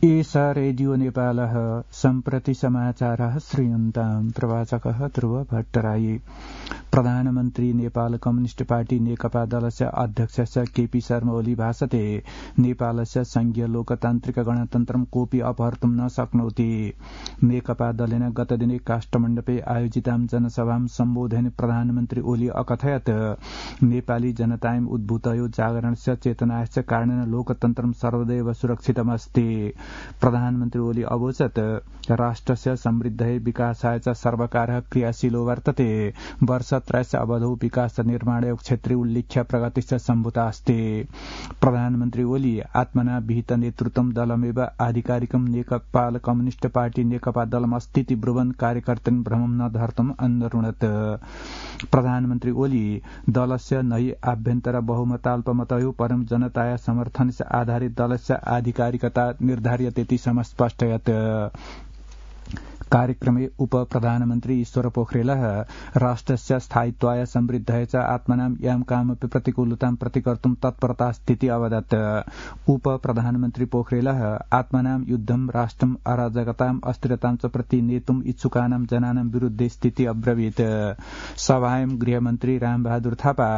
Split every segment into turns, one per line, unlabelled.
एषा रेडियो नेपालः सम्प्रति समाचारः श्रूयन्ताम्। प्रवाचकः ध्रुव भट्टराई। प्रधानमन्त्री नेपाल कम्युनिस्ट पार्टी नेकपा दलस्य अध्यक्षस्य केपी शर्मा ओली भाषते नेपालस्य संघीय लोकतान्त्रिक गणतन्त्रं कोऽपि अपहर्तुं न शक्नोति। नेकपा दलेन गतदिने काष्ठमण्डपे आयोजितां जनसभां सम्बोधयन् प्रधानमन्त्री ओली अकथयत् नेपाली जनतायम् उद्भूतयो जागरणस्य चेतनास्य कारणेन लोकतन्त्रं सर्वदैव सुरक्षितमस्ति। प्रधानमन्त्री ओली अवोचत् राष्ट्रस्य समृद्धये विकासाय च सर्वकारः क्रियाशीलो वर्तते। वर्षत्रयस्य अवधौ विकास निर्माणयो क्षेत्रे उल्लेख्य प्रगतिश्च सम्भूता अस्ति। प्रधानमन्त्री ओली आत्मना विहित नेतृत्वं दलमेव आधिकारिकं नेपाल कम्युनिस्ट पार्टी नेकपा दलमस्तीति ब्रुवन् कार्यकर्तृन् भ्रमं न धर्तुम् अन्वरुणत्। प्रधानमन्त्री ओली दलस्य नै आभ्यन्तर बहुमताल्पमतयो परं जनताया समर्थनस्य आधारित दलस्य आधिकारिकता निर्धार्यतेति समस्पष्टयत्। कार्यक्रमे उप प्रधानमन्त्री ईश्वर पोखरेलः राष्ट्रस्य स्थायित्वाय समृद्धये च आत्मनां यां कामपि प्रतिकूलतां प्रतिकर्तुं तत्परता स्थिति अवदत्। उप प्रधानमन्त्री पोखरेलः आत्मनां युद्धं राष्ट्रम् अराजकताम् अस्थिरतां च प्रति नेतुम् इच्छुकानां जनानां विरुद्धे स्थिति अब्रवीत्। सभायां गृहमन्त्री रामबहादुर थापा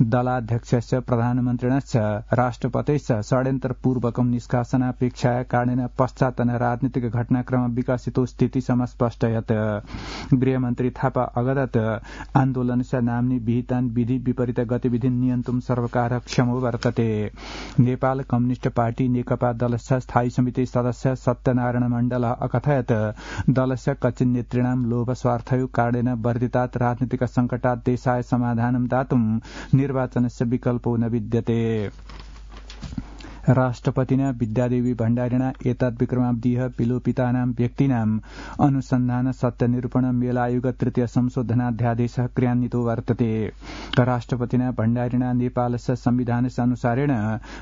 दलाध्यक्षस्य प्रधानमन्त्रिणश्च राष्ट्रपतेश्च षड्यन्त्रपूर्वकं निष्कासनापेक्षाया कारणेन पश्चातन राजनीतिक घटनाक्रम विकसितो स्थिति समस्पष्टयत्। गृहमन्त्री थापा अवदत् आन्दोलनस्य नाम्नि विहितान् विधि विपरीत गतिविधिन् नियन्तुं सर्वकारः क्षमो वर्तते। नेपाल कम्युनिस्ट पार्टी नेकपा दलस्य स्थायी समिति सदस्य सत्यनारायण मण्डलः अकथयत् दलस्य कच्चिन् नेतॄणां लोभ स्वार्थयो कारणेन वर्धितात् राजनीतिक संकटात् देशाय समाधानं दातुं निर्वाचनस्य विकल्पो न विद्यते। राष्ट्रपतिना विद्यादेवी भण्डारिणा एतद् विक्रमाब्दीः विलोपितानां व्यक्तीनाम् अनुसन्धान सत्यनिरूपण मेलायोग तृतीय संशोधनाध्यादेशः क्रियान्वितो वर्तते। राष्ट्रपतिना भण्डारिणा नेपालस्य संविधानस्य अनुसारेण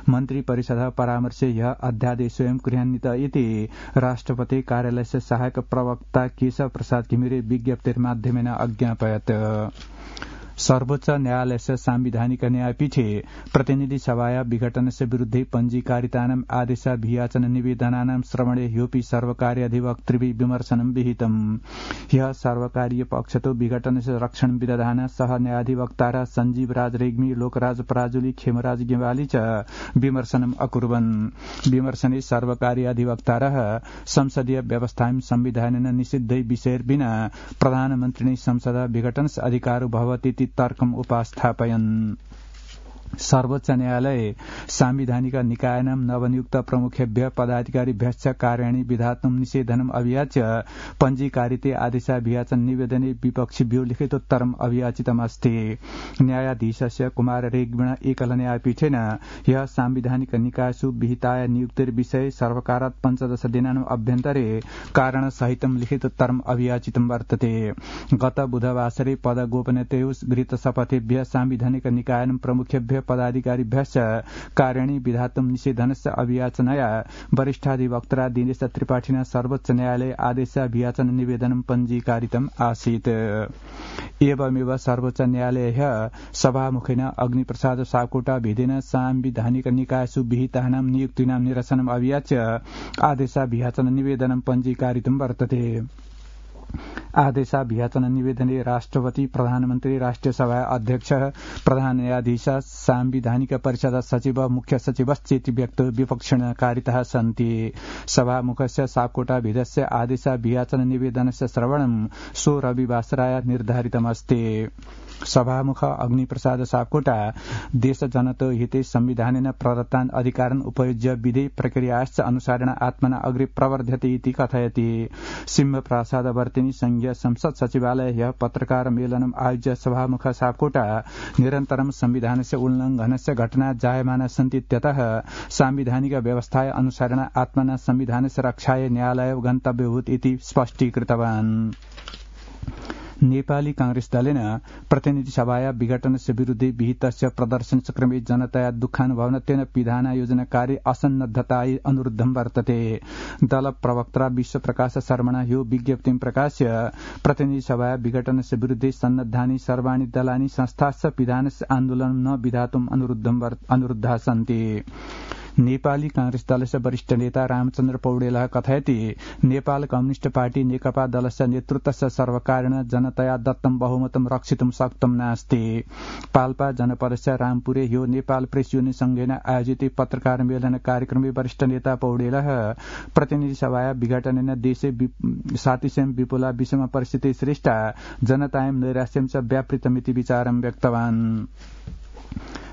मन्त्री परिषदः परामर्शे यः अध्यादेशोऽयं क्रियान्वित इति राष्ट्रपति कार्यालयस्य सहायक प्रवक्ता केशव प्रसाद घिमिरे विज्ञप्तिर्माध्यमेन अज्ञापयत्। सर्वोच्च न्यायालयस्य सांविधानिक न्यायपीठे प्रतिनिधि सभाया विघटनस्य विरुद्धे पञ्जीकारितानाम् आदेशाभियाचन निवेदनानां श्रवणे ह्योपि सर्वकारीय अधिवक्तृभिः विमर्शनं विहितम्। ह्यः सर्वकारीय पक्षतो विघटनस्य रक्षण विदधान सह न्यायाधिवक्तारः सञ्जीव राज रेग्मी, लोकराज पराजुली, खेमराज गेवाली च विमर्शनम् अकुर्वन्। विमर्शने सर्वकारीय अधिवक्तारः संसदीय व्यवस्थायां संविधानेन निषिद्धै विषयैर्विना प्रधानमन्त्रिणे संसदः विघटनस्य अधिकारो भवतीति तर्कम् उपास्थापयन्। सर्वोच्च न्यायालये सांविधानिक निकायानां नवनियुक्त प्रमुखेभ्यः पदाधिकारिभ्यश्च कार्याणि विधातुं निषेधनम् अभियाच्य पञ्जीकारिते आदेशाभियाचन निवेदने विपक्षिभ्यो लिखितोत्तरम् अभियाचितमस्ति। न्यायाधीशस्य कुमार रेग्मिणा एकल न्यायपीठेन ह्यः सांविधानिक निकायसु विहिताय नियुक्तिर्विषये सर्वकारात् 15 दिनानाम् अभ्यन्तरे कारणसहितं लिखितोत्तरम् अभियाचितं वर्तते। गत बुधवासरे पदगोपनीयतयो गृहीत शपथेभ्यः सांविधानिक निकायानां प्रमुखेभ्यः पदाधिकारिभ्यश्च कार्याणि विधातुं निषेधनस्य अभियाचनया वरिष्ठाधिवक्ता दिनेश त्रिपाठिना सर्वोच्च न्यायालये आदेशाभियाचन निवेदनं पञ्जीकारितम् आसीत्। एवमेव सर्वोच्च न्यायालयः सभामुखेन अग्निप्रसाद सापकोटा भेदेन सांविधानिक निकायसु विहितानां नियुक्तीनां निरसनम् अभियाच्य आदेशाभियाचन निवेदनं पञ्जीकारितं वर्तते। आदेशाभियाचन निवेदने राष्ट्रपति, प्रधानमन्त्री, राष्ट्रिय सभा अध्यक्षः, प्रधान न्यायाधीशः, सांविधानिक परिषद सचिव, मुख्य सचिवश्चेति व्यक्तयो विपक्षिणः कारिताः सन्ति। सभामुखस्य सापकोटा भेदस्य आदेशाभियाचन निवेदनस्य श्रवणं सो रविवासराय निर्धारितमस्ति। सभामुख अग्निप्रसाद सापकोटा देशजनतो हिते संविधानेन प्रदत्तान् अधिकारान् उपयुज्य विधि प्रक्रियाश्च अनुसारेण आत्मना अग्रे प्रवर्ध्यते इति कथयति। सिंहप्रासादवर्तिनी संघीय संसद सचिवालय ह्यः पत्रकार मेलनम् आयोज्य सभामुख सापकोटा निरन्तरं संविधानस्य उल्लङ्घनस्य घटना जायमाना सन्ति इत्यतः सांविधानिक व्यवस्थाय अनुसारेण आत्मना संविधानस्य रक्षाय न्यायालयो गन्तव्यभूत् इति स्पष्टीकृतवान्। नेपाली कांग्रेस दलेन प्रतिनिधि सभाया विघटनस्य विरुद्धे विहितस्य प्रदर्शनक्रमे जनताया दुःखानुभवनत्वेन विधान योजनाकारी असन्नद्धतायै अनुरुद्धं वर्तते। दल प्रवक्ता विश्वप्रकाश शर्मणा ह्यो विज्ञप्तिं प्रकाश्य प्रतिनिधि सभाया विघटनस्य विरुद्धे सन्नद्धानि सर्वाणि दलानि संस्थाश्च विधानस्य आन्दोलनं न विधातुम् अनुरुद्धाः सन्ति। नेपाली कांग्रेस दलस्य वरिष्ठ नेता रामचन्द्र पौडेलः कथयति नेपाल कम्युनिस्ट पार्टी नेकपा दलस्य नेतृत्वस्य सर्वकारेण जनतया दत्तं बहुमतं रक्षितुं शक्तं नास्ति। पाल्पा जनपदस्य रामपुरे ह्यो नेपाल प्रेस युनियन संघेन आयोजित पत्रकार मेलन कार्यक्रमे वरिष्ठ नेता पौडेलः प्रतिनिधि सभाया विघटनेन देशे सातिसेम विपुला विषम परिस्थिति श्रेष्ठ जनतायं नैराश्यं च व्यापृतमिति विचारं व्यक्तवान्।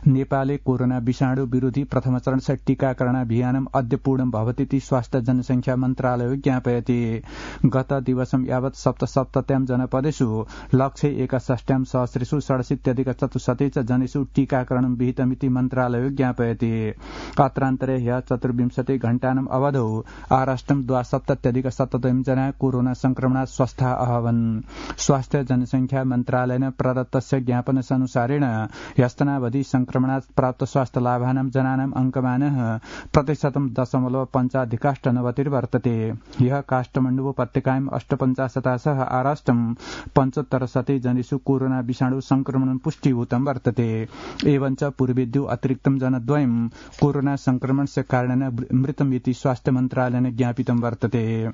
नेपाले कोरोना विषाणु विरोधी प्रथम चरणस्य टीकाकरण अभियानम् अद्य पूर्णं भवतीति स्वास्थ्य जनसंख्या मन्त्रालयो ज्ञापयति। गत दिवसं यावत् सप्तसप्तत्यां जनपदेषु 161,सहस्रेषु 67,400 च जनेषु टीकाकरणं विहितमिति मन्त्रालयो ज्ञापयति। अत्रान्तरे ह्यः 24 घण्टानाम् अवधौ आराष्ट्रं 72,97 जना कोरोना संक्रमणात् स्वस्था अभवन्। स्वास्थ्य जनसंख्या मन्त्रालयेन प्रदत्तस्य ज्ञापनसनुसारेण ह्यस्तनावधि संक्रमणात् प्राप्त स्वास्थ्य लाभानां जनानाम् अंकमानः 0.5% वर्तते। यह काष्ठमण्डु उपत्यकायां 58 सह आराष्ट्रं 75 जनेषु कोरोना विषाणु संक्रमणं पुष्टिभूतं वर्तते। एवञ्च पूर्वेद्यौ अतिरिक्तं जनद्वयं कोरोना संक्रमणस्य कारणेन मृतमिति स्वास्थ्य मन्त्रालयेन ज्ञापितं वर्तते।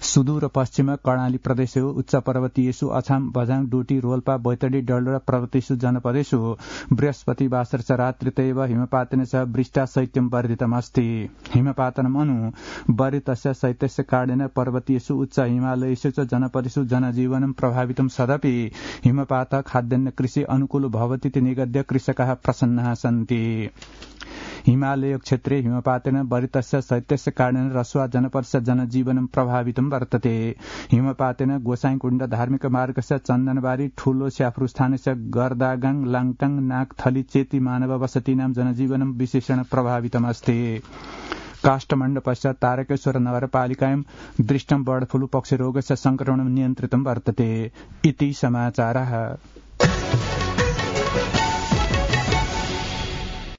सुदूर पश्चिम कर्णाली प्रदेशेषु उच्च पर्वतीयेषु अछाम बझाङ डोटी रोल्पा बैतडी डल्लो पर्वतेषु जनपदेषु बृहस्पतिवासर च रात्रितैव हिमपातेन सह वृष्टा शैत्यं वर्धितमस्ति। हिमपातनम् अनु वर्धितस्य शैत्यस्य कारणेन पर्वतीयेषु उच्च हिमालयेषु च जनपदेषु जनजीवनं प्रभावितं सदपि हिमपातः खाद्यान्न कृषि अनुकूल भवतीति निगद्य कृषकाः प्रसन्नाः सन्ति। हिमालय क्षेत्रे हिमपातेन वर्धितस्य शैत्यस्य कारणेन रसुवा जनपदस्य जनजीवनं प्रभावितं वर्तते। हिमपातेन गोसाईकुण्ड धार्मिक मार्गस्य चन्दनबारी ठूलो स्याफ्रु स्थानस्य गर्दागाङ लाङटाङ नागथली चेती मानव वसतीनां जनजीवनं विशेषण प्रभावितमस्ति। काष्ठमण्ड पश्चात् तारकेश्वर नगरपालिकायां दृष्टं बर्ड फ्लू पक्षिरोगस्य संक्रमणं नियन्त्रितं वर्तते। इति समाचारः।